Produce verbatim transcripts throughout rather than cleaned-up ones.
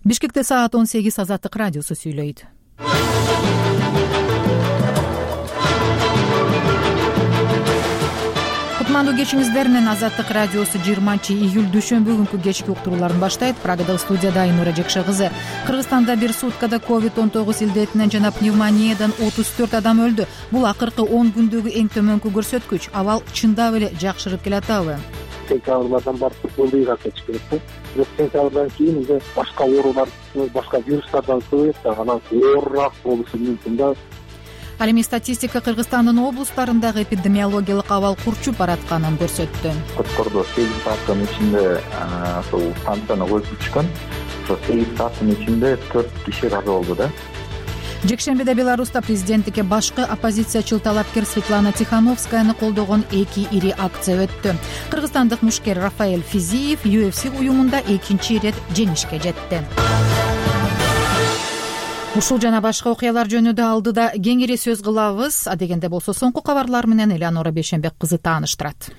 Бишкекте саат он сегиз. Азаттык радиосу сүйлөйт. Кутмандуу кечиңиздер менен Азаттык радиосу жыйырманчы июль дүйшөмбү күнкү кечки уктурууларын баштайт. Прагада студияда Айнура Жекше кызы. Кыргызстанда бир суткада ковид он тогуз илдетинен жана пневмониядан отуз төрт адам өлдү. Бул акыркы он күндөгү эң төмөнкү көрсөткүч. Абал чындап эле жакшырып келатабы? Сентябрдан баштап көбөйгөн керек да. Бирок сентябрдан кийин уже башка оорулар, башка вирустардан көбөйөт да, анан оорураак болушу мүмкүн да. Ал эми статистика Кыргызстандын облустарындагы эпидемиологиялык абал курчуп баратканын көрсөттү. Коткордо сегиз сааттын ичинде ошол станцияны коюп түшкөн. Ошол сегиз сааттын ичинде төрт киши каза болду да. Жекшембиде Беларуста президенттикке башкы оппозициячыл талапкер Светлана Тихановскаяны колдогон эки ири акция өттү. Кыргызстандык мушкер Рафаэль Физиев ю эф си уюмунда экинчи ирет жеңишке жетти. Ушул жана башка окуялар жөнүндө алдыда кеңири сөз кылабыз. Адегенде болсо соңку кабарлар менен Элеонора Бейшенбек кызы тааныштырат.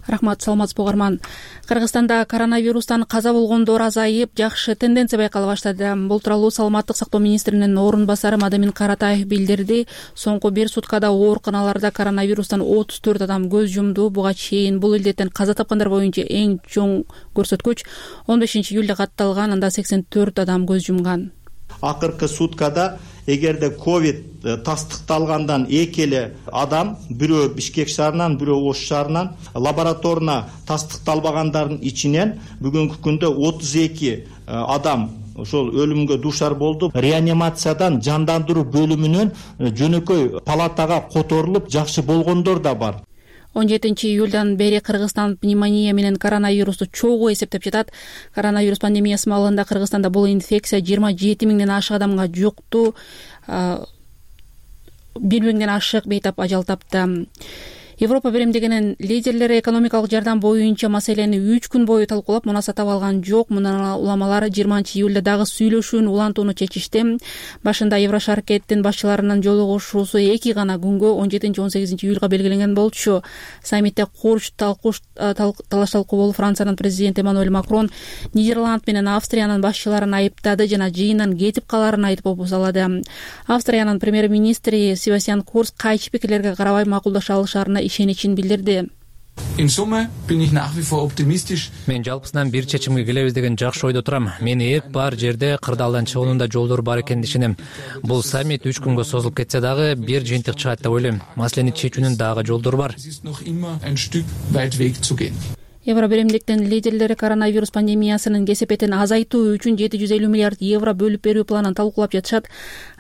Рахмат, саламатсызбы угарман. Кыргызстанда коронавирустан каза болгондор азайып, жакшы тенденция байкала баштады. Бул тууралуу Саламаттык сактоо министринин орун басары Мадамин Каратаев билдирди. Соңку бир суткада ооруканаларда коронавирустан отуз төрт адам көз жумду. Буга чейин бул илдеттен каза тапкандар боюнча эң чоң көрсөткүч он бешинчи июлда катталган, анда сексен төрт адам көз жумган. Акыркы суткада эгерде ковид тастыкталгандан эки эле адам, бирөө Бишкек шаарынан, бирөө Ош шаарынан, лабораторно тастыкталбагандардын ичинен бүгүнкү күндө отуз эки адам ошол өлүмгө дуушар болду. Реанимациядан жандандыруу бөлүмүнөн жөнөкөй палатага которулуп жакшы болгондор да бар. он жетинчи июлдан бери Кыргызстан пневмония менен коронавирусту чогуу эсептеп жатат. Коронавирус пандемиясы маалында Кыргызстанда бул инфекция жыйырма жети миңден ашык адамга жукту. бир миңден ашык бейтап ажал тапты. Европа биримдигинин лидерлери экономикалык жардам боюнча маселени үч күн бою талкуулап, мунаса таба алган жок. Мына уламалар жыйырманчы июлда дагы сүйлөшүүнү улантууну чечишти. Башында Еврошаркеттин башчыларынын жолугушуусу эки гана күнгө он жетинчи он сегизинчи июлга белгиленген болчу. Саммитте курч талкуш талаш талкуу болуп, Франциянын президенти Эммануэль Макрон Нидерланд менен Австриянын башчыларын айыптады жана жыйындан кетип калаарын айтып опусалады. Австриянын премьер-министри Себастьян Курц кайчы пикирлерге карабай макулдаша алышаарына ишеничин билдирди. Мен жалпысынан бир чечимге келебиз деген жакшы ойдо турам. Мен эп бар жерде кырдаалдан чыгуунун да жолдору бар экенин ишенем. Бул саммит үч күнгө созулуп кетсе дагы бир жыйынтык чыгат деп ойлойм. Маселени чечүүнүн дагы жолдору бар. Евро биримдиктин лидерлери коронавирус пандемиясынын кесепетин азайтуу үчүн жети жүз элүү миллиард евро бөлүп берүү планын талкуулап жатышат.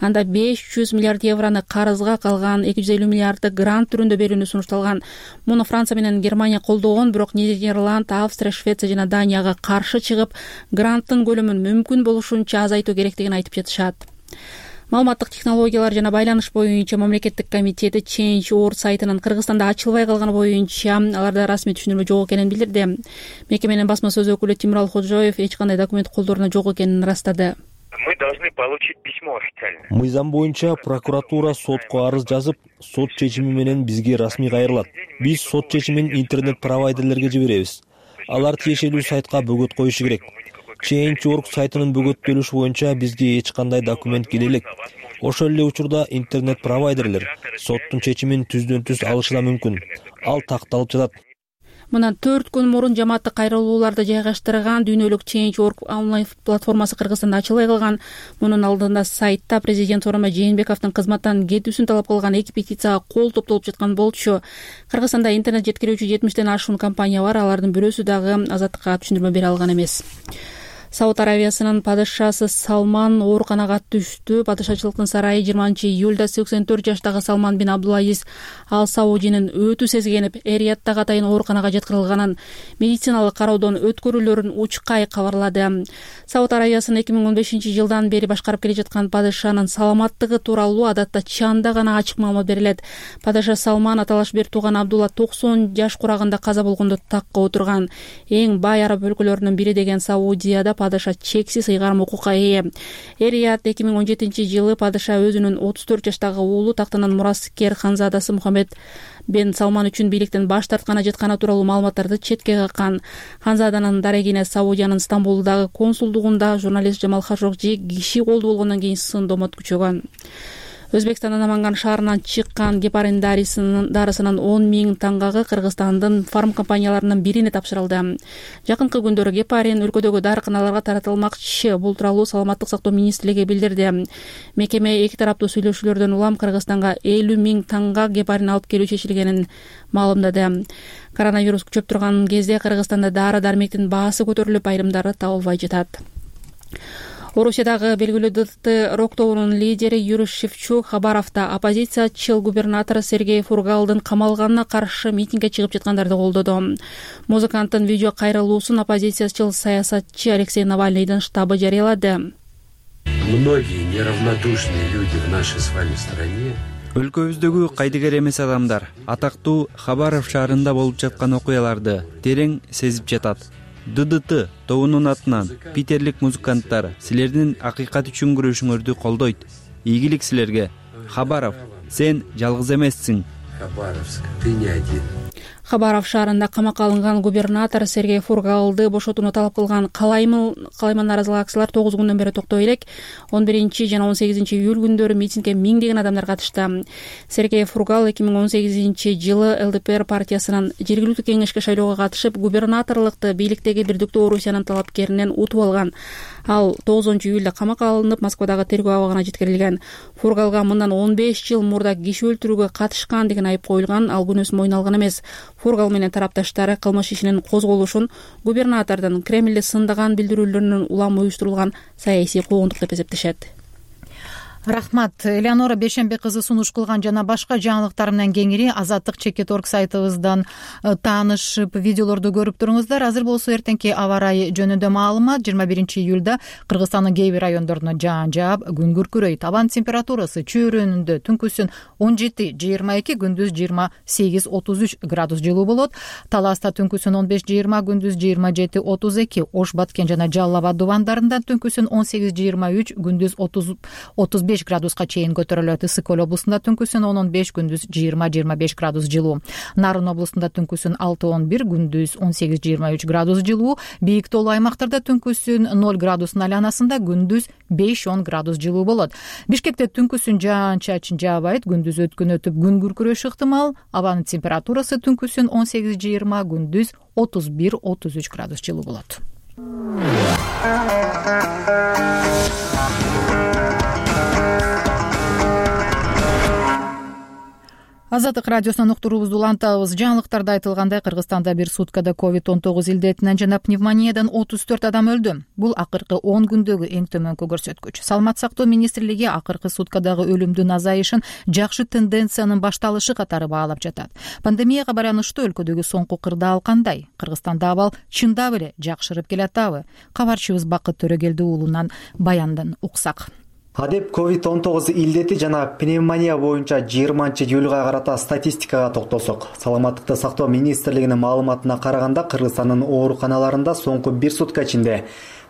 Анда беш жүз миллиард евроны карызга, калган эки жүз элүү миллиарды грант түрүндө берүүнү сунушталган. Муну Франция менен Германия колдогон, бирок Нидерланд, Австрия, Швеция жана Данияга каршы чыгып, гранттын көлөмүн мүмкүн болушунча азайтуу керектигин айтып жатышат. Маалыматтык технологиялар жана байланыш боюнча мамлекеттик комитети Change точка org сайтынын Кыргызстанда ачылбай калганы боюнча аларда расмий түшүндүрмө жок экенин билдирди. Мекеменин басма сөз өкүлү Тимурал Ходжоев эч кандай документ колдоруна жок экенин ырастады. Мы должны получить письмо официально. Мыйзам боюнча прокуратура сотко арыз жазып, сот чечими менен бизге расмий кайрылат. Биз сот чечимин интернет провайдерлерге жиберебиз. Алар тиешелүү сайтка бөгөт коюшу керек. Change точка org сайтынын бөгөттөлүшү боюнча бизге эч кандай документ келе элек. Ошол эле учурда интернет провайдерлер соттун чечимин түздөн түз алышы да мүмкүн. Ал такталып жатат. Мындан төрт күн мурун жамааттык кайрылууларды жайгаштырган дүйнөлүк Change точка org онлайн платформасы Кыргызстанда ачылбай калган. Мунун алдында сайтта президент Сооронбай Жээнбековдун кызматтан кетүүсүн талап кылган эки петицияга кол топтолуп жаткан болчу. Кыргызстанда интернет жеткирүүчү жетимиштен ашуун компания бар, алардын бирөөсү дагы Азаттыкка түшүндүрмө бере алган эмес. Сауд Аравиясынын падышасы Салман ооруканага түштү. Падышачылыктын сарайы жыйырманчы июлда сексен төрт жаштагы Салман бин Абдулазиз Ал Саудинин өтүү сезгенип, Эриаттагы атайын ооруканага жеткирилганын, медициналык кароодон өткөрүүлөрүн учкай кабарлады. Сауд Аравиясын эки миң он бешинчи жылдан бери башкарып келе жаткан падышанын саламаттыгы тууралуу адатта чанда гана ачык маалымат берилет. Падыша Салман аталаш бир тууган Абдулла токсон жаш курагында каза болгондо такка отурган. Эң бай араб өлкөлөрүнүн бири деген Саудияда падыша чексиз ыйгарым укукка ээ. Эр-Рияд эки миң он жетинчи жылы падыша өзүнүн отуз төрт жаштагы уулу тактанын мураскер ханзадасы Мухаммед бен Салман үчүн бийликтен баш тартканы жатканы тууралуу маалыматтарды четке каккан. Ханзаданын дарегине Саудиянын Стамбулдагы консулдугунда журналист Жамал Хашогжи киши колду болгондон кийин сындомот күчөгөн. Өзбекстандын Наманган шаарынан чыккан гепарин дарысынын он миң тангагы Кыргызстандын фарм компанияларынын бирине тапшырылды. Жакынкы күндөрү гепарин өлкөдөгү дарыканаларга таратылмакчы. Бул тууралуу Саламаттык сактоо министрлиги билдирди. Мекеме эки тараптуу сүйлөшүүлөрдөн улам Кыргызстанга элүү миң танга гепарин алып келүү чечилгенин маалымдады. Коронавирус күчөп турган кезде Кыргызстанда дары-дармектин баасы көтөрүлүп, айрымдары табылбай жатат. Орусиядагы белгилүү ДТ рок тобунун лидери Юрий Шевчук Хабаровдо оппозициячыл губернатор Сергей Фургалдын камалганына каршы митингге чыгып жаткандарды колдоду. Музыканттын видео кайрылуусун оппозициячыл саясатчы Алексей Навальныйдын штабы жарыялады. Многие неравнодушные люди в нашей с вами стране. Өлкөбүздөгү кайдыгер эмес адамдар атактуу Хабаров шаарында болуп жаткан окуяларды терең сезип жатат. ДДТ тобунун атынан питерлик музыканттар силердин акыйкат үчүн күрөшүңөрдү колдойт. Ийгилик силерге. Хабаров, сен жалгыз эмессиң. Хабаровск, ты не один. Хабаров шаарында камакка алынган губернатор Сергей Фургалды бошотууну талап кылган калайман наразылык акциялар тогуз күндөн бери токтой элек. он биринчи жана он сегизинчи июль күндөрү митингге миңдеген адамдар катышты. Сергей Фургал эки миң он сегизинчи жылы ЛДПР партиясынын жергиликтүү кеңешке шайлоого катышып, губернаторлукты бийликтеги Бирдиктүү Орусиянын талапкеринен утуп алган. Ал тогузунчу июлда камакка алынып, Москвадагы тергөө абагына жеткирилген. Фургалга мындан он беш жыл мурда киши өлтүрүүгө катышкан деген айып коюлган. Ал күнөөсүн мойнуна алган эмес. Фургал менен тарапташтары кылмыш ишинин козголушун губернатордун Кремлди сындаган билдирүүлөрүнүн улам уюштурулган саясий куугунтук деп эсептешет. Рахмат. Элеонора Бешембек кызы сунуш кылган жана башка жаңылыктар менен кеңири азаттык чекит точка орг сайтыбыздан таанышып, видеолорду көрүп туруңуздар. Азыр болсо эртеңки аба ырайы жөнүндө маалымат. жыйырма биринчи июлда Кыргызстандын кээ бир райондоруна жаан жаап, күн күркүрөйт. Абан температурасы чөйрөнүндө түнкүсүн он жети жыйырма эки, күндүз жыйырма сегиз отуз үч градус жылуу болот. Таласта түнкүсүн он беш жыйырма, күндүз жыйырма жети отуз эки. Ош, Баткен жана Жалал Абад дубандарында түнкүсүн он сегиз жыйырма үч, күндүз отуз беш градуска чейин көтөрүлөт. Ысык Көл облусунда түнкүсүн он он беш, күндүз жыйырма жыйырма беш градус жылуу. Нарын облусунда түнкүсүн алты он бир, күндүз он сегиз жыйырма үч градус жылуу. Бийик тоолуу аймактарда түнкүсүн ноль градустун айланасында, күндүз беш он градус жылуу болот. Бишкекте түнкүсүн жаан-чачын жаабайт, күндүз өткүнөтүп күн күркүрөшү ыктымал. Абанын температурасы түнкүсүн он сегиз жыйырма, күндүз отуз бир отуз үч градус жылуу болот. Азаттык радиосунан уктуруубузду улантабыз. Жаңылыктарда айтылгандай, Кыргызстанда бир суткада ковид он тогуз илдетинен жана пневмониядан отуз төрт адам өлдү. Бул акыркы он күндөгү эң төмөнкү көрсөткүч. Саламаттык сактоо министрлиги акыркы суткадагы өлүмдүн азайышын жакшы тенденциянын башталышы катары баалап жатат. Пандемияга байланыштуу өлкөдөгү соңку кырдаал кандай? Кыргызстанда абал чындап эле жакшырып келатабы? Кабарчыбыз Бакыт Төрөгелди уулунан баяндан уксак. Адеп ковид он тогуз илдети жана пневмония боюнча жыйырманчы июлга карата статистикага токтолсок, Саламаттыкты сактоо министрлигинин маалыматына караганда, Кыргызстандын ооруканаларында соңку бир сутка ичинде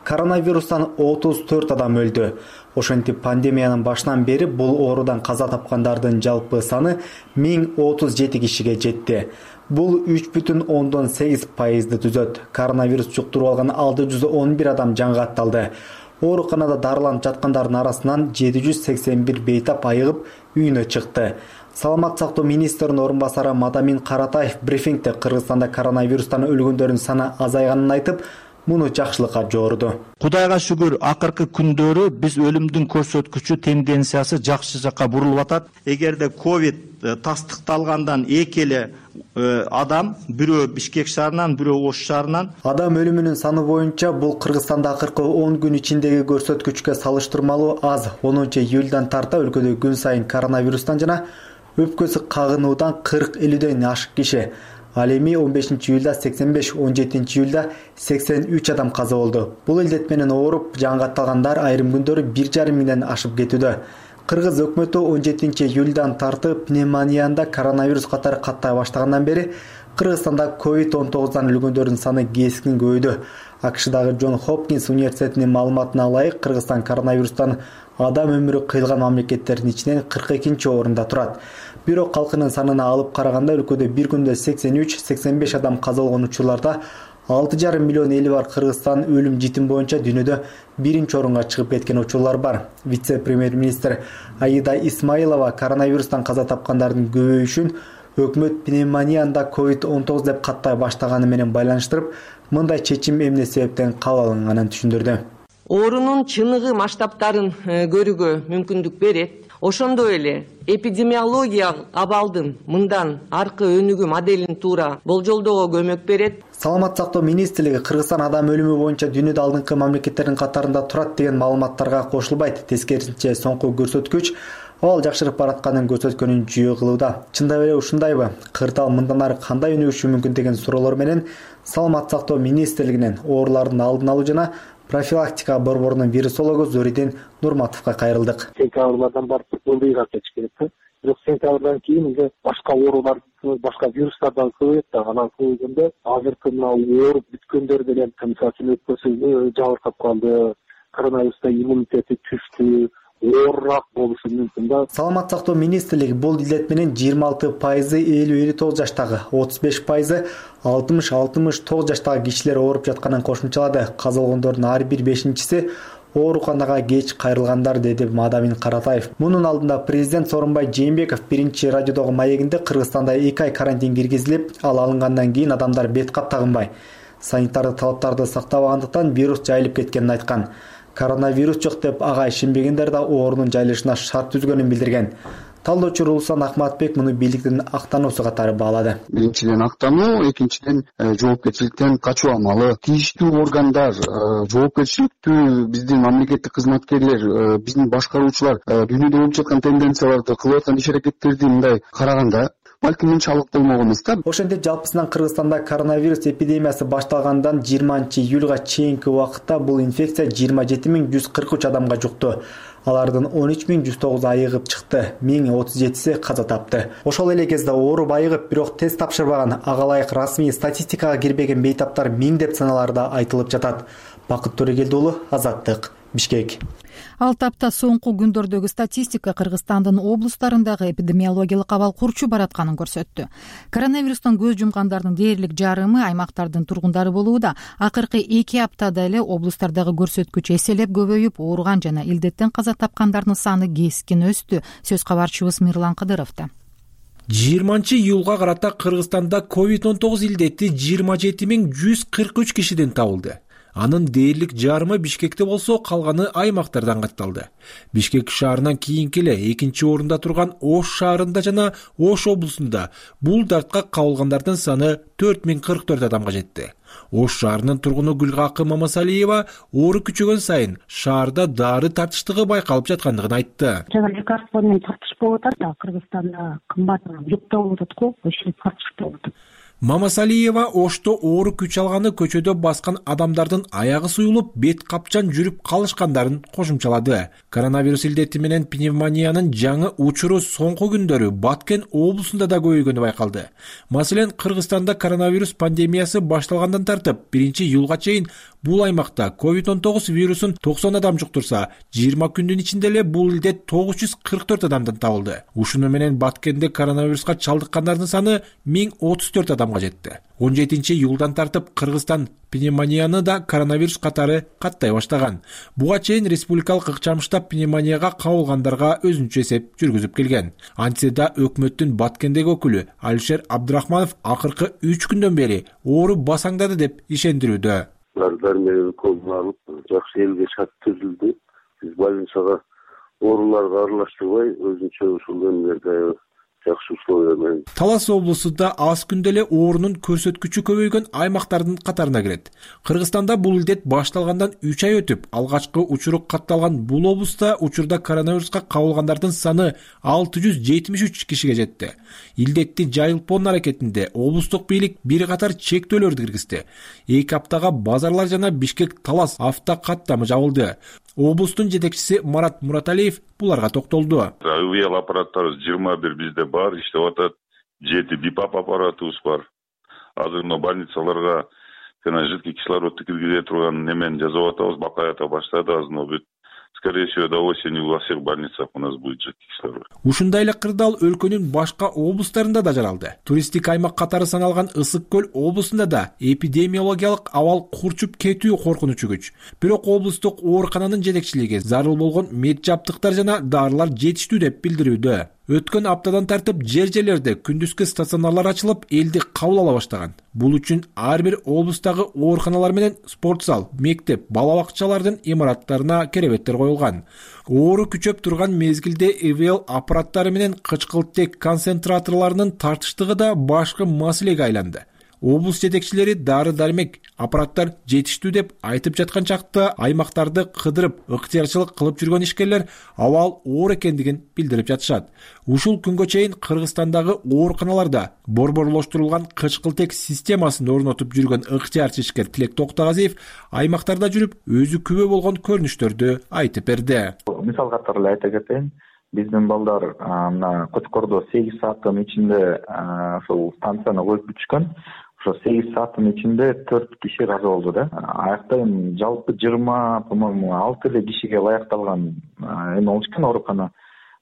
коронавирустан отуз төрт адам өлдү. Ошентип пандемиянын башынан бери бул оорудан каза тапкандардын жалпы саны миң отуз жети кишиге жетти. Бул үч бүтүн ондон сегиз пайызды түзөт. Коронавирус жуктуруп алган алты жүз он бир адам жаңы катталды. Ооруканада дарыланып жаткандардын арасынан жети жүз сексен бир бейтап айыгып үйүнө чыкты. Саламаттык сактоо министринин орун басары Мадамин Каратаев брифингде Кыргызстанда коронавирустан өлгөндөрдүн саны азайганын айтып, муну жакшылыкка жорду. Кудайга шүгүр, акыркы күндөрү биз өлүмдүн көрсөткүчү тенденциясы жакшы жакка бурулуп атат. Эгерде ковид тастыкталгандан эки эле адам, бирөө Бишкек шаарынан, бирөө Ош шаарынан. Адам өлүмүнүн саны боюнча бул Кыргызстанда акыркы он күн ичиндеги көрсөткүчкө салыштырмалуу аз. онунчу июлдан тарта өлкөдө күн сайын коронавирустан жана өпкөсү кагынуудан кырк элүүдөн ашык киши. Ал эми он бешинчи июлда сексен беш, он жетинчи июлда сексен үч адам каза болду. Бул илдет менен ооруп жаңы катталгандар айрым күндөрү бир жарым миңден ашып кетүүдө. Кыргыз өкмөтү он жетинчи июлдан тартып пневмонияда коронавирус катары каттай баштагандан бери Кыргызстанда ковид он тогуздан өлгөндөрдүн саны кескин көбөйдү. АКШдагы Джон Хопкинс университетинин маалыматына ылайык, Кыргызстан коронавирустан адам өмүрү кыйылган мамлекеттердин ичинен кырк экинчи орунда турат. Бирок калкынын санына алып караганда өлкөдө бир күндө сексен үч сексен беш адам каза болгон учурларда алты жарым миллион эли бар Кыргызстан өлүм житим боюнча дүйнөдө биринчи орунга чыгып кеткен учурлар бар. Вице-премьер-министр Аида Исмаилова коронавирустан каза тапкандардын көбөйүшүн өкмөт пневмонияда ковид он тогуз деп каттай баштаганы менен байланыштырып, мындай чечим эмне себептен кабыл алынганын түшүндүрдү. Оорунун чыныгы масштабтарын көрүүгө мүмкүндүк берет. Ошондой эле эпидемиологиялык абалдын мындан аркы өнүгүү моделин туура болжолдоого көмөк берет. Саламат сактоо министрлиги Кыргызстан адам өлүмү боюнча дүйнөдө алдыңкы мамлекеттердин катарында турат деген маалыматтарга кошулбайт. Тескерисинче, соңку көрсөткүч абал жакшырып баратканын көрсөткөнүн жүйө кылууда. Чындап эле ушундайбы? Кырдаал мындан ары кандай өнүгүшү мүмкүн деген суроолор менен Саламат сактоо министрлигинен оорулардын алдын алуу жана профилактика борборунун вирусологу Зоридин Нурматовго кайрылдык. Сентябрдан бартып ылдыйга кетиш керек. Бирок сентябрдан кийин уже башка оорулар, башка вирустардан көбөйөт да, анан көбөйгөндө азыркы мына ооруп бүткөндөр деле мисалы өкпөсү жабыркап калды, коронавируста иммунитети түштү, оорураак болушу мүмкүн да. Саламат сактоо министрлиги бул илдет менен жыйырма алты пайызы элүү элүү тогуз жаштагы, отуз беш пайызы алтымыш алтымыш тогуз жаштагы кишилер ооруп жатканын кошумчалады. Каза болгондордун ар бир бешинчиси ооруканага кеч кайрылгандар, деди Мадамин Каратаев. Мунун алдында президент Сооронбай Жээнбеков биринчи радиодогу маегинде Кыргызстанда эки ай карантин киргизилип, ал алынгандан кийин адамдар бет кап тагынбай, санитардык талаптарды сактабагандыктан вирус жайылып кеткенин айткан. Коронавирус жок деп ага ишенбегендер да оорунун жайылышына шарт түзгөнүн билдирген. Талдоочу Рулсан Акматбек муну бийликтин актаnuусу катары баалады. Биринчиден актануу, экинчиден жоопкерчиликтен качуу амалы. Тийиштүү органдар, жоопкерчиликтүү биздин мамлекеттик кызматкерлер, биздин башкаруучулар дүйнөдө болуп жаткан тенденцияларды, кылып аткан иш-аракеттерди мындай караганда балким мынчалык болмок эмес да. Ошентип жалпысынан Кыргызстанда коронавирус эпидемиясы башталгандан жыйырманчы июлга чейинки убакытта бул инфекция жыйырма жети миң жүз кырк үч адамга жукту. Алардын он үч миң жүз тогуз айыгып чыкты, миң отуз жетиси каза тапты. Ошол эле кезде ооруп айыгып, бирок тест тапшырбаган, ага ылайык расмий статистикага кирбеген бейтаптар миңдеп саналарда айтылып жатат. Бакыт Төрегелди уулу, Азаттык, Бишкек. Ал тапта соңку күндөрдөгү статистика Кыргызстандын облустарындагы эпидемиологиялык абал курчуп баратканын көрсөттү. Коронавирустан көз жумгандардын дээрлик жарымы аймактардын тургундары болууда. Акыркы эки аптада эле облустардагы көрсөткүч эселеп көбөйүп, ооруган жана илдеттен каза тапкандардын саны кескин өстү. Сөз кабарчыбыз Мирлан Кыдыровдо. жыйырманчы июлга карата Кыргызстанда ковид он тогуз илдети жыйырма жети миң жүз кырк үч кишиден табылды. Анын дээрлик жарымы Бишкекте болсо, калганы аймактардан катталды. Бишкек шаарынан кийинки эле экинчи орунда турган Ош шаарында жана Ош облусунда бул дартка кабылгандардын саны төрт миң кырк төрт адамга жетти. Ош шаарынын тургуну Гүлгакы Мамасалиева оору күчөгөн сайын шаарда дары тартыштыгы байкалып жаткандыгын айтты. Жана лекарство менен тартыш болуп атат да, Кыргызстанда кымбат жукта болуп атат го, ошол тартышта болуп атат. Мамасалиева Ошто оору күч алганы көчөдө баскан адамдардын аягы суюлуп, бет капчан жүрүп калышкандарын кошумчалады. Коронавирус илдети менен пневмониянын жаңы учуру соңку күндөрү Баткен облусунда да көбөйгөнү байкалды. Маселен, Кыргызстанда коронавирус пандемиясы башталгандан тартып, биринчи июлга чейин бул аймакта ковид он тогуз вирусун токсон адам жуктурса, жыйырма күндүн ичинде эле бул илдет тогуз жүз кырк төрт адамдан табылды. Ушуну менен Баткенде коронавируска чалдыккандардын саны миң отуз төрт адамга жетти. он жетинчи июлдан тартып Кыргызстан пневмонияны да коронавирус катары каттай баштаган. Буга чейин республикалык ыкчам штаб пневмонияга кабылгандарга өзүнчө эсеп жүргүзүп келген. Антсе да өкмөттүн Баткендеги өкүлү Алишер Абдрахманов акыркы үч күндөн бери оору басаңдады деп ишендирүүдө. Дармелерди колуна алып, жакшы элге шарт түзүлдү. Биз больницага ооруларга аралаштырбай, өзүнчө ушул эмелерди жакшы условия менен. Талас облусунда аз күндө эле оорунун көрсөткүчү көбөйгөн аймактардын катарына кирет. Кыргызстанда бул илдет башталгандан үч ай өтүп, алгачкы учуру катталган бул облуста учурда коронавируска кабылгандардын саны алты жүз жетимиш үч кишиге жетти. Илдетти жайылтпоонун аракетинде облустук бийлик бир катар чектөөлөрдү киргизди. эки аптага базарлар жана Бишкек Талас автокаттамы жабылды. Облустун жетекчиси Марат Мураталиев буларга токтолду. Авиал аппараттарыбыз жыйырма бир бизде бар, иштеп атат. жети бипап аппаратыбыз бар. азыр мына больницаларга жана жидкий кислородду киргизе турган немени жасап атабыз, бакаята баштады. Азыр бүт скорее всего до осени во всех больницах у нас будет жидкий кислород. Ушундай эле кырдаал өлкөнүн башка облустарында да жаралды. Туристтик аймак катары саналган Ысык көл облусунда да эпидемиологиялык абал курчуп кетүү коркунучу күч. Бирок облустук оорукананын жетекчилиги зарыл болгон мед жабдыктар жана дарылар жетиштүү деп билдирүүдө. Өткөн аптадан тартып жер жерлерде күндүзгү стационарлар ачылып, элди кабыл ала баштаган. Бул үчүн ар бир облустагы ооруканалар менен спорт зал, мектеп, бала бакчалардын имараттарына керебеттер коюлган. Оору күчөп турган мезгилде ИВЛ аппараттары менен кычкылтек концентраторлорунун тартыштыгы да башкы маселеге айланды. Облус жетекчилери дары-дармек, аппараттар жетиштүү деп айтып жаткан чакта аймактарды кыдырып, ыктыярчылык кылып жүргөн ишкерлер абал оор экендигин билдирип жатышат. Ушул күнгө чейин Кыргызстандагы ооруканаларда борборлоштурулган кычкылтек системасын орнотуп жүргөн ыктыярчы ишкер Тилек Токтогазиев аймактарда жүрүп, өзү күбө болгон көрүнүштөрдү айтып берди. Мисал катары эле айта кетейин, биздин балдар мына Кочкордо сегиз сааттын ичинде ошол станцияны коюп бүтүшкөн. Ошо сегиз сааттын ичинде төрт киши разы болду да. Аякта эми жалпы жыйырма, по-моему, алты эле кишиге ылайыкталган эме болчу экен оорукана.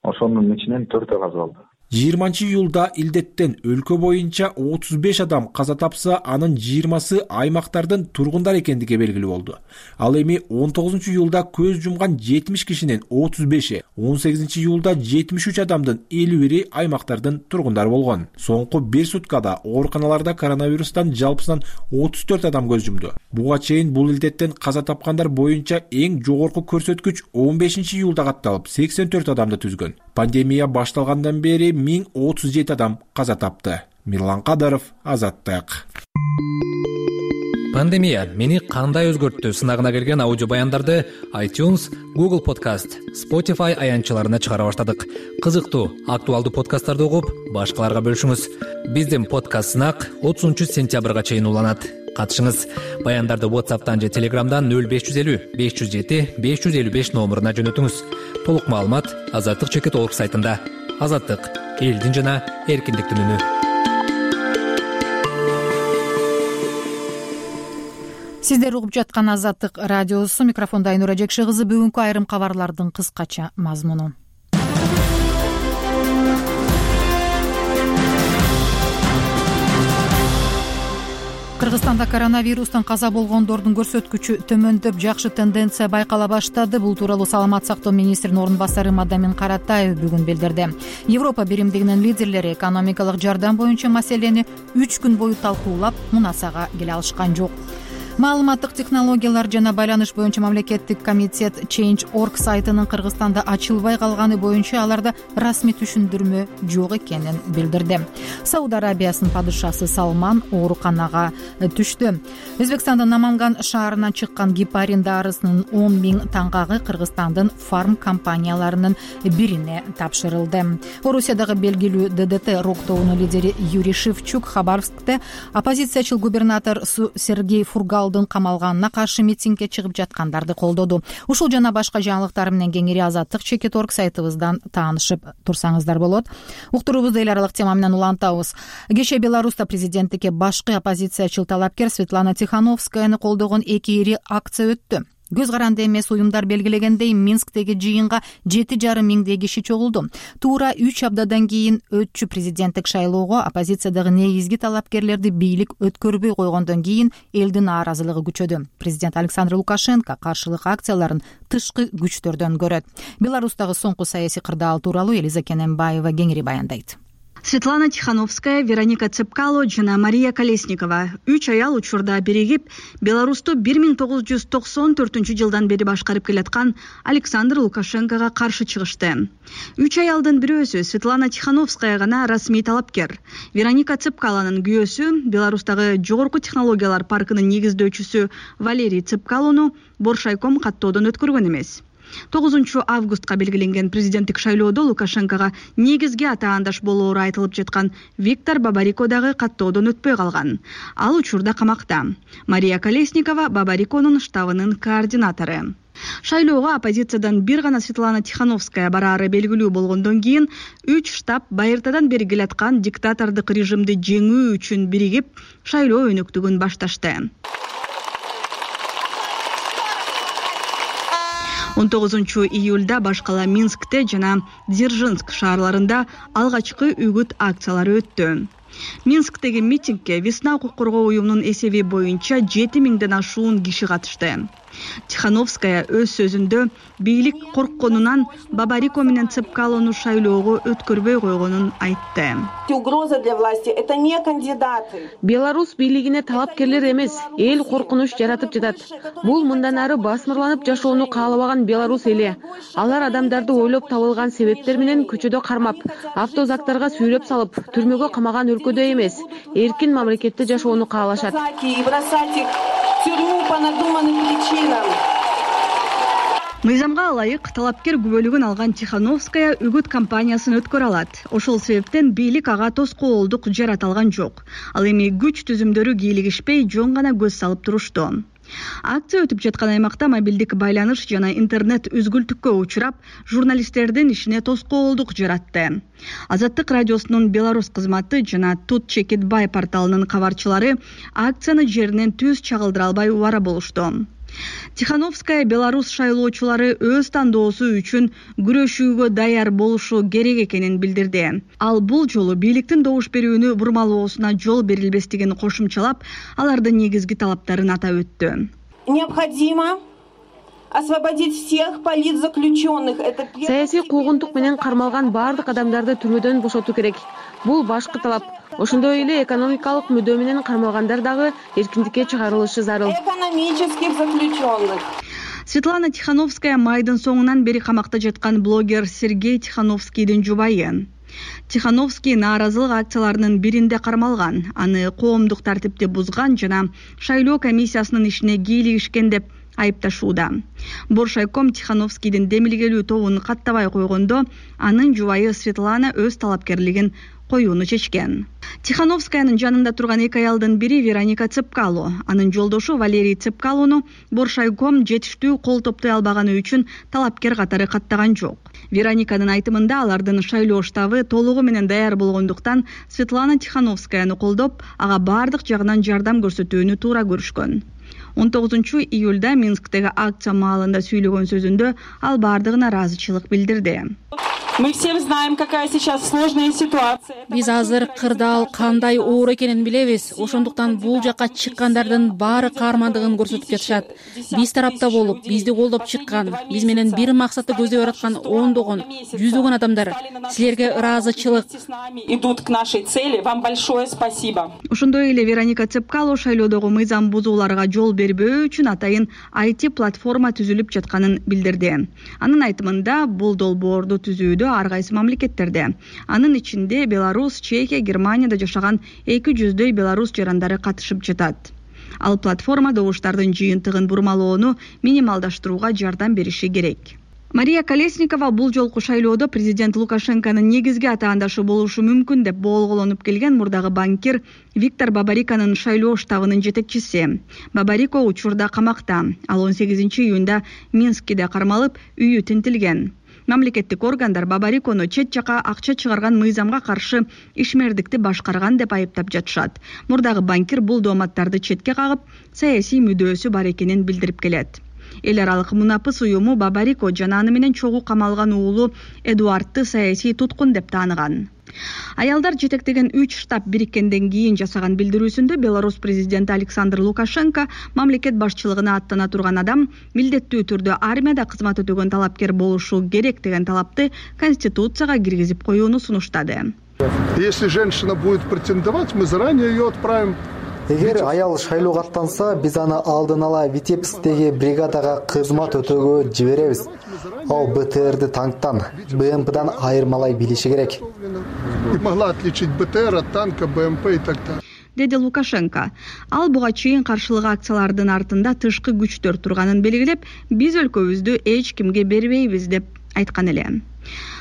Ошонун ичинен төртөө разы болду. жыйырманчы июлда илдеттен өлкө боюнча отуз беш адам каза тапса, анын жыйырмасы аймактардын тургундары экендиги белгилүү болду. Ал эми он тогузунчу июлда көз жумган жетимиш кишинин отуз беши, он сегизинчи июлда жетимиш үч адамдын элүү бири аймактардын тургундары болгон. Соңку бир суткада ооруканаларда коронавирустан жалпысынан отуз төрт адам көз жумду. Буга чейин бул илдеттен каза тапкандар боюнча эң жогорку көрсөткүч он бешинчи июлда катталып, сексен төрт адамды түзгөн. Пандемия башталгандан бери миң отуз жети адам каза тапты. Мирлан Кадаров, Азаттык. Пандемия мени кандай өзгөрттү сынагына келген аудио баяндарды iTunes, Google Podcast, Spotify аянтчаларына чыгара баштадык. Кызыктуу, актуалдуу подкасттарды угуп, башкаларга бөлүшүңүз. Биздин подкаст сынак отузунчу сентябрга чейин уланат. Катышыңыз. Баяндарды WhatsApp'тан же Telegram'дан нөл беш жүз элүү беш жүз жети беш жүз элүү беш номуруна жөнөтүңүз. Толук маалымат азаттык чекит орг сайтында. Азаттык — элдин жана эркиндиктин үнү. Сиздер угуп жаткан Азаттык радиосу, микрофондо Айнура Жекши кызы. Бүгүнкү айрым кабарлардын кыскача мазмуну. Кыргызстанда коронавирустан каза болгондордун көрсөткүчү төмөндөп, жакшы тенденция байкала баштады. Бул тууралуу Саламат сактоо министринин орун басары Мадамин Каратаев бүгүн билдирди. Европа биримдигинин лидерлери экономикалык жардам боюнча маселени үч күн бою талкуулап, мунасага келе алышкан жок. Маалыматтык технологиялар жана байланыш боюнча мамлекеттик комитет Change точка org сайтынын Кыргызстанда ачылбай калганы боюнча аларда расмий түшүндүрмө жок экенин билдирди. Сауд Арабиясынын падышасы Салман ооруканага түштү. Өзбекстандын Наманган шаарынан чыккан гепарин дарысынын он миң таңгагы Кыргызстандын фарм компанияларынын бирине тапшырылды. Орусиядагы белгилүү Д Д Т рок тобунун лидери Юрий Шевчук Хабаровскте оппозициячыл губернатор Сергей Фургал камалганына каршы митингге чыгып жаткандарды колдоду. Ушул жана башка жаңылыктар менен кеңири азаттык чекит точка org сайтыбыздан таанышып турсаңыздар болот. Уктуруубузду эл аралык тема менен улантабыз. Кечээ Беларуста президенттикке башкы оппозициячыл талапкер Светлана Тихановскаяны колдогон эки ири акция өттү. Көз каранды эмес уюмдар белгилегендей, Минсктеги жыйынга жети жарым миңдей киши чогулду. Туура үч аптадан кийин өтчү президенттик шайлоого оппозициядагы негизги талапкерлерди бийлик өткөрбөй койгондон кийин элдин нааразылыгы күчөдү. Президент Александр Лукашенко каршылык акцияларын тышкы күчтөрдөн көрөт. Беларустагы соңку саясий кырдаал тууралуу Элиза Кененбаева кеңири баяндайт. Светлана Тихановская, Вероника Цепкало жана Мария Колесникова үч аял учурда биригип, Беларусту бир миң тогуз жүз токсон төртүнчү жылдан бери башкарып келаткан Александр Лукашенкого каршы чыгышты. Үч аялдын бирөөсү Светлана Тихановская гана расмий талапкер. Вероника Цепкалонун күйөөсү Беларустагы жогорку технологиялар паркынын негиздөөчүсү Валерий Цепкалону Боршайком каттоодон өткөргөн эмес. тогузунчу августка белгиленген президенттик шайлоодо Лукашенкого негизги атаандаш болоору айтылып жаткан Виктор Бабарико дагы каттоодон өтпөй калган. Ал учурда камакта. Мария Колесникова Бабариконун штабынын координатору. Шайлоого оппозициядан бир гана Светлана Тихановская бараары белгилүү болгондон кийин үч штаб байыртадан бери келаткан диктатордук режимди жеңүү үчүн биригип шайлоо өнөктүгүн башташты. он тогузунчу июлда баш кала Минскте жана Дзержинск шаарларында алгачкы үгүт акциялары өттү. Минсктеги митингге Весна укук коргоо уюмунун эсеби боюнча жети миңден ашуун киши катышты. Тихановская өз сөзүндө бийлик коркконунан Бабарико менен Цепкалону шайлоого өткөрбөй койгонун айтты. Угроза для власти — это не кандидаты. Беларусь бийлигине талапкерлер эмес, эл коркунуч жаратып жатат. Бул мындан ары басмырланып жашоону каалабаган Беларусь эли. Алар адамдарды ойлоп табылган себептер менен көчөдө кармап, автозактарга сүйрөп салып, түрмөгө камаган өлкөдө эмес, эркин мамлекетте жашоону каалашат. Мыйзамга ылайык талапкер күбөлүгүн алган Тихановская үгүт кампаниясын өткөрө алат. Ошол себептен бийлик ага тоскоолдук жарата алган жок. Ал эми күч түзүмдөрү кийлигишпей жон гана көз салып турушту. Акция өтүп жаткан аймакта мобилдик байланыш жана интернет үзгүлтүккө учурап, журналисттердин ишине тоскоолдук жаратты. Азаттык радиосунун Беларусь кызматы жана Тут Чекит Бай порталынын кабарчылары акцияны жеринен түз чагылдыра албай убара болушту. Тихановская Беларусь шайлоочулары өз тандоосу үчүн күрөшүүгө даяр болушу керек экенин билдирди. Ал бул жолу бийликтин добуш берүүнү бурмалоосуна жол берилбестигин кошумчалап, алардын негизги талаптарын атап өттү. Необходимо освободить всех политзаключенных. Саясий куугунтук менен кармалган бардык адамдарды түрмөдөн бошотуу керек. Бул башкы талап. Ошондой эле экономикалык мүдөө менен кармалгандар дагы эркиндикке чыгарылышы зарыл. Экономических заключенных. Светлана Тихановская майдын соңунан бери камакта жаткан блогер Сергей Тихановскийдин жубайы. Тихановский нааразылык акцияларынын биринде кармалган, аны коомдук тартипти бузган жана шайлоо комиссиясынын ишине кийлигишкен деп айыпташууда. Боршайком Тихановскийдин демилгелүү тобун каттабай койгондо, анын жубайы Светлана өз талапкерлигин коюуну чечкен. Тихановскаянын жанында турган эки аялдын бири Вероника Цепкало, анын жолдошу Валерий Цепкалону Боршайком жетиштүү кол топтой албаганы үчүн талапкер катары каттаган жок. Верониканын айтымында алардын шайлоо штабы толугу менен даяр болгондуктан Светлана Тихановскаяны колдоп, ага бардык жагынан жардам көрсөтүүнү туура көрүшкөн. он тогузунчу июлда Минсктеги акция маалында сүйлөгөн сөзүндө ал бардыгына ыраазычылык билдирди. Мы все знаем, какая сейчас сложная ситуация. Биз азыр кырдаал кандай оор экенин билебиз. Ошондуктан бул жакка чыккандардын баары каармандыгын көрсөтүп жатышат. Биз тарапта болуп, бизди колдоп чыккан, биз менен бир максатты көздөй бараткан ондогон, жүздөгөн адамдар. Силерге ыраазычылык. Идут к нашей цели. Вам большое спасибо. Ошондой эле Вероника Цепкало шайлоодогу мыйзам бузууларга жол бербөө үчүн атайын ай ти платформа түзүлүп жатканын билдирди. Анын айтымында бул долбоорду түзүүдө ар кайсы мамлекеттерде, анын ичинде Беларусь, Чехия, Германияда жашаган эки жүздөй белорус жарандары катышып жатат. Ал платформа добуштардын жыйынтыгын бурмалоону минималдаштырууга жардам бериши керек. Мария Колесникова бул жолку шайлоодо президент Лукашенконун негизги атаандашы болушу мүмкүн деп болголонуп келген мурдагы банкир Виктор Бабариконун шайлоо штабынын жетекчиси. Бабарико учурда камакта. Ал он сегизинчи июнда Минскиде кармалып, үйү тинтилген. Мамлекеттик органдар Бабарикону чет жака акча чыгарган мыйзамга каршы ишмердикти башкарган деп айыптап жатышат. Мурдагы банкир бул дооматтарды четке кагып, саясий мүдөөсү бар экенин билдирип келет. Эл аралык мунапыс уюму Бабарико жана аны менен чогуу камалган уулу Эдуардты саясий туткун деп тааныган. Аялдар жетектеген үч штаб бириккенден кийин жасаган билдирүүсүндө Беларусь президенти Александр Лукашенко мамлекет башчылыгына аттана турган адам милдеттүү түрдө армияда кызмат өтөгөн талапкер болушу керек деген талапты Конституцияга киргизип коюуну сунуштады. Если женщина будет претендовать, мы заранее ее отправим. Эгер аял шайлоого аттанса, биз аны алдын ала Витебскдеги бригадага кызмат өтөөгө жиберебиз. Ал бэ тэ эрди танктан, бэ эм пэдан айырмалай билиши керек. И могла отличить бэ тэ эр от танка, бэ эм пэ и так далее. Деди Лукашенко. Ал буга чейин каршылык акциялардын артында тышкы күчтөр турганын белгилеп, биз өлкөбүздү эч кимге бербейбиз деп айткан эле.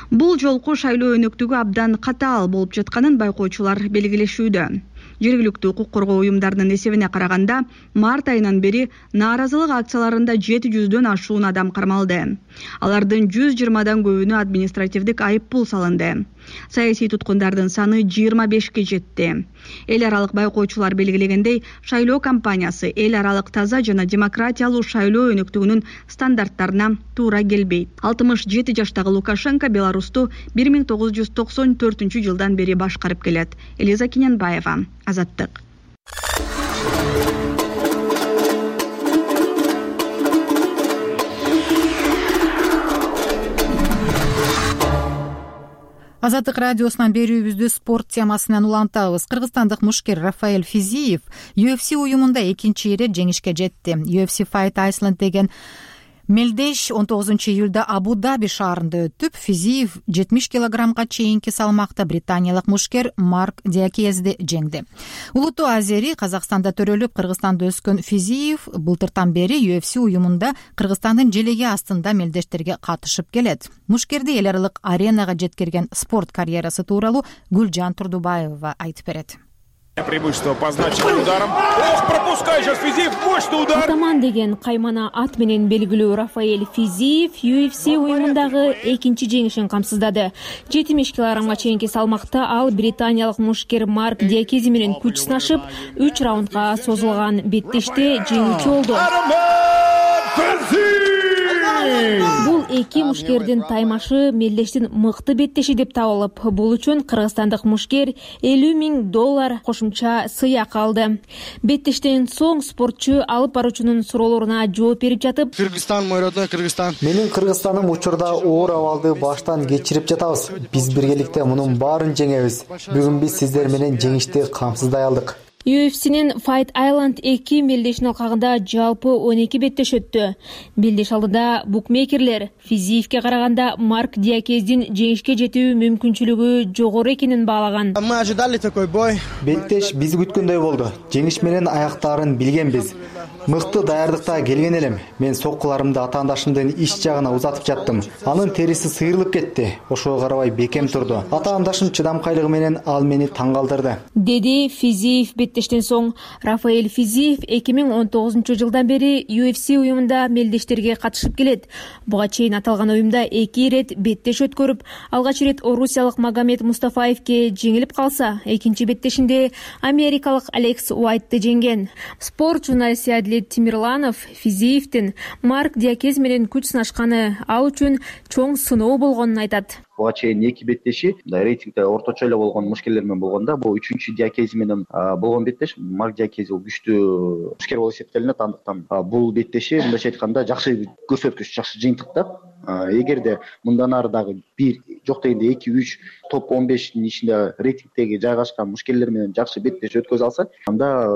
Бул жолку шайлоо өнөктүгү абдан катаал болуп жатканын байкоочулар белгилешүүдө. Жергиликтүү укук коргоо уюмдарынын эсебине караганда март айынан бери нааразылык акцияларында жети жүздөн ашуун адам кармалды. Алардын жүз жыйырмадан көбүнө административдик айып пул салынды. Саясий туткундардын саны жыйырма бешке жетти. Эл аралык байкоочулар белгилегендей, шайлоо кампаниясы эл аралык таза жана демократиялуу шайлоо өнөктүгүнүн стандарттарына туура келбейт. алтымыш жети жаштагы Лукашенко Беларусту бир миң тогуз жүз токсон төртүнчү жылдан бери башкарып келет. Элиза Киненбаева, Азаттык. Азаттык радиосунан берүүбүздү спорт темасынан улантабыз. Кыргызстандык мушкер Рафаэль Физиев ю эф си уюмунда экинчи ирет жеңишке жетти. ю эф си Fight Iceland деген мелдеш он тогузунчу июлда Абу-Даби шаарында өтүп, Физиев жетимиш килограммга чейинки салмакта британиялык мушкер Марк Диакезди жеңди. Улуттуу азери Казакстанда төрөлүп, Кыргызстанда өскөн Физиев былтыртан бери ю эф си уюмунда Кыргызстандын желеги астында мелдештерге катышып келет. Мушкерди эл аралык аренага жеткирген спорт карьерасы тууралуу Гүлжан Турдубаева айтып берет. Преимущество по значимым ударам. Ох, пропускай сейчас Физиев, мощный удар. Атаман деген каймана ат менен белгилүү Рафаэль Физиев ю эф си уюмундагы экинчи жеңишин камсыздады. жетимиш килограммга чейинки салмакта ал британиялык мушкер Марк Диакези менен күч сынашып, үч раундга созулган беттеште жеңүүчү болду. Бул эки мушкердин таймашы мелдештин мыкты беттеши деп табылып, бул үчүн кыргызстандык мушкер элүү миң доллар кошумча сыйак алды. Беттештен соң спортчу алып баруучунун суроолоруна жооп берип жатып, Кыргызстан мой родной Кыргызстан. Менин Кыргызстаным учурда оор абалды баштан кечирип жатабыз. Биз биргеликте мунун баарын жеңебиз. Бүгүн биз сиздер менен жеңишти камсыздай алдык. ю эф синин Fight Island эки мелдешин алкагында жалпы он эки беттеш өттү. Белдеш алдыда букмекерлер Физиевке караганда Марк Диакездин жеңишке жетүү мүмкүнчүлүгү жогору экенин баалаган. Мы ожидали такой бой. Беттеш биз күткөндөй болду. Жеңиш менен аяктаарын билгенбиз. Мыкты даярдыкта келген элем. Мен соккуларымды атаандашымдын иш жагына узатып жаттым. Анын териси сыйрылып кетти. Ошого карабай бекем турду. Атаандашым чыдамкайлыгы менен ал мени таң калтырды, деди Физиев. Беттештен соң Рафаэль Физиев эки миң он тогузунчу жылдан бери ю эф си уюмунда мелдештерге катышып келет. Буга чейин аталган уюмда эки ирет беттеш өткөрүп, алгач ирет орусиялык Магомед Мустафаевке жеңилип калса, экинчи беттешинде америкалык Алекс Уайтты жеңген. Спорт журналисти Адилет Тимирланов Физиевдин Марк Диакез менен күч сынашканы ал үчүн чоң сыноо болгонун айтат. Буга чейин эки беттеши рейтингде орточо эле болгон мушкерлер менен болгондо, бул үчүнчү Диакези менен болгон беттеш. Марк Диакези күчтүү мушкер болуп эсептелинет, андыктан бул беттеши мындайча айтканда жакшы көрсөткүч, жакшы жыйынтык да. Эгерде мындан ары дагы бир жок дегенде эки үч топ он бештин ичинде рейтингдеги жайгашкан мушкерлер менен жакшы беттеш өткөзө алса, анда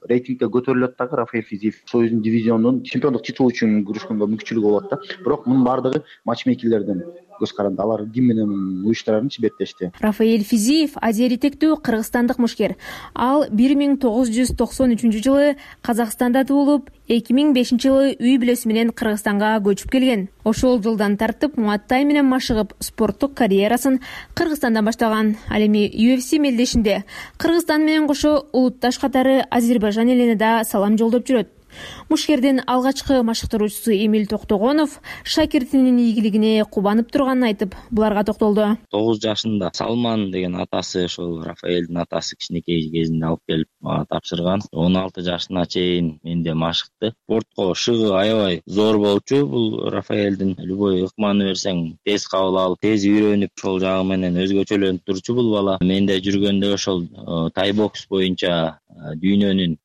рейтингде көтөрүлөт дагы. Рафаэль Физиев өзүнүн дивизионунун чемпиондук титулу үчүн күрөшкөнгө мүмкүнчүлүгү болот да. Бирок мунун баардыгы матчмейкерлердин көз каранды. Алар ким менен уюштурарынчы беттешти. Рафаэль Физиев азери тектүү кыргызстандык мушкер. Ал бир миң тогуз жүз токсон үчүнчү жылы Казакстанда туулуп, эки миң бешинчи жылы үй бүлөсү менен Кыргызстанга көчүп келген. Ошол жылдан тартып Муаттай менен машыгып, спорттук карьерасын Кыргызстандан баштаган. Ал эми ю эф си мелдешинде Кыргызстан менен кошо улутташ катары Азербайжан элине да салам жолдоп жүрөт. Мушкердин алгачкы машыктыруучусу Эмиль Токтогонов шакиртинин ийгилигине кубанып турганын айтып, буларга токтолду. тогуз жашында Салман деген атасы, ошол Рафаэлдин атасы кичинекей кезинде алып келип мага тапшырган. он алты жашына чейин менде машыкты. Спортко шыгы аябай зор болчу. Бул Рафаэлдин любой ыкманы берсең тез кабыл алып, тез үйрөнүп, ошол жагы менен өзгөчөлөнүп турчу бул бала. Менде жүргөндө ошол тайбокс боюнча дүйнөнүн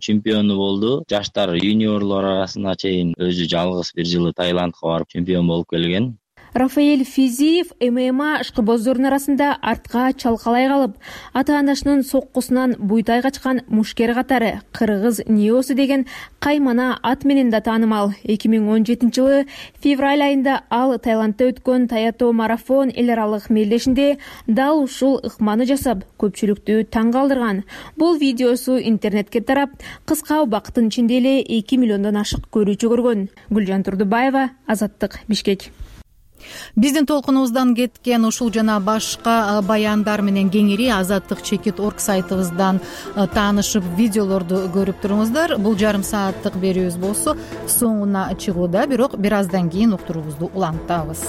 чемпиону болду. Жаштар юниорлор арасына чейин өзү жалгыз бир жылы Таиландка барып чемпион болуп келген. Рафаэль Физиев эм эм а ышкыбоздордун арасында артка чалкалай калып, ата-анасынын соккусунан буйтай качкан мушкер катары Кыргыз Ниосу деген каймана ат менен да таанымал. эки миң он жетинчи жылы февраль айында ал Таиландда өткөн Таято марафон эл аралык мелдешинде дал ушул ыкманы жасап, көпчүлүктү таң калтырган. Бул видеосу интернетке тарап, кыска убакыттын ичинде эле эки миллиондон ашык көрүүчү көргөн. Гүлжан Турдубаева, Азаттык, Бишкек. биздин толкунубуздан кеткен ушул жана башка баяндар менен кеңири азаттык чекит орг сайтыбыздан таанышып видеолорду көрүп туруңуздар. Бул жарым сааттык берүүбүз болсо соңуна чыгууда, бирок бир аздан кийин уктуруубузду улантабыз.